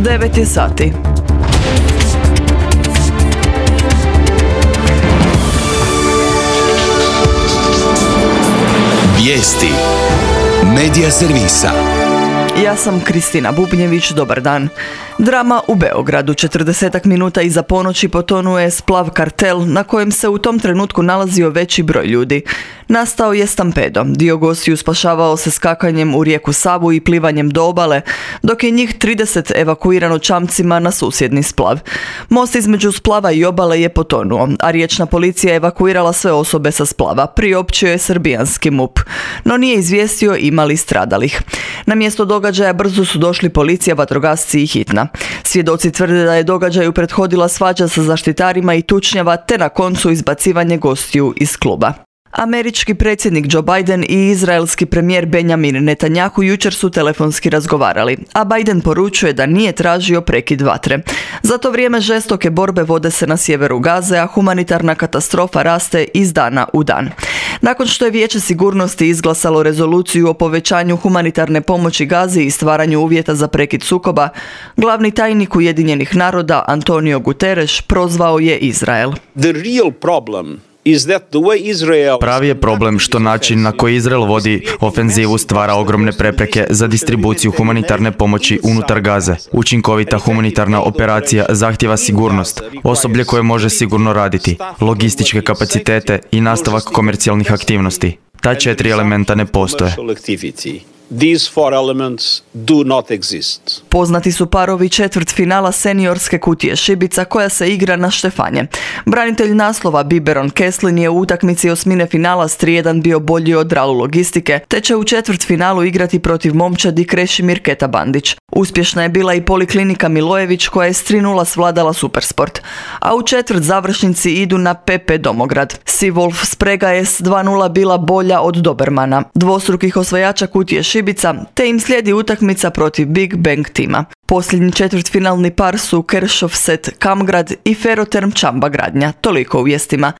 9 je sati. Vijesti Medija servisa. Ja sam Kristina Bubnjević, dobar dan. Drama u Beogradu. 40 minuta iza ponoći potonuo je splav Kartel na kojem se u tom trenutku nalazio veći broj ljudi. Nastao je stampedo. Dio gostiju spašavao se skakanjem u rijeku Savu i plivanjem do obale, dok je njih 30 evakuirano čamcima na susjedni splav. Most između splava i obale je potonuo, a riječna policija je evakuirala sve osobe sa splava. Priopćio je srbijanski MUP, no nije izvijestio ima li stradalih. Na mjesto događaja brzo su došli policija, vatrogasci i hitna. Svjedoci tvrde da je događaju prethodila svađa sa zaštitarima i tučnjava, te na koncu izbacivanje gostiju iz kluba. Američki predsjednik Joe Biden i izraelski premijer Benjamin Netanyahu jučer su telefonski razgovarali, a Biden poručuje da nije tražio prekid vatre. Za to vrijeme žestoke borbe vode se na sjeveru Gaze, a humanitarna katastrofa raste iz dana u dan. Nakon što je Vijeće sigurnosti izglasalo rezoluciju o povećanju humanitarne pomoći Gazi i stvaranju uvjeta za prekid sukoba, glavni tajnik Ujedinjenih naroda Antonio Guterres prozvao je Izrael. Pravi je problem što način na koji Izrael vodi ofenzivu stvara ogromne prepreke za distribuciju humanitarne pomoći unutar Gaze. Učinkovita humanitarna operacija zahtijeva sigurnost, osoblje koje može sigurno raditi, logističke kapacitete i nastavak komercijalnih aktivnosti. Ta 4 elementa ne postoje. These four elements do not exist. Poznati su parovi četvrtfinala seniorske kutije šibica koja se igra na štefanje. Branitelj naslova Biberon Keslin je u utakmici osmine finala s 3:1 bio bolji od Ralu Logistike, te će u četvrtfinalu igrati protiv momčadi Krešimir Keta Bandić. Uspješna je bila i Poliklinika Milojević koja je s 3:0 svladala Supersport. A u četvrt završnici idu na PP Domograd. Seawolf Sprega je s 2:0 bila bolja od Dobermana, dvostrukih osvajača kutije šibica, te im slijedi utakmica protiv Big Bang tima. Posljednji četvrtfinalni par su Keršov Set Kamgrad i Ferroterm Čamba Gradnja. Toliko u vijestima.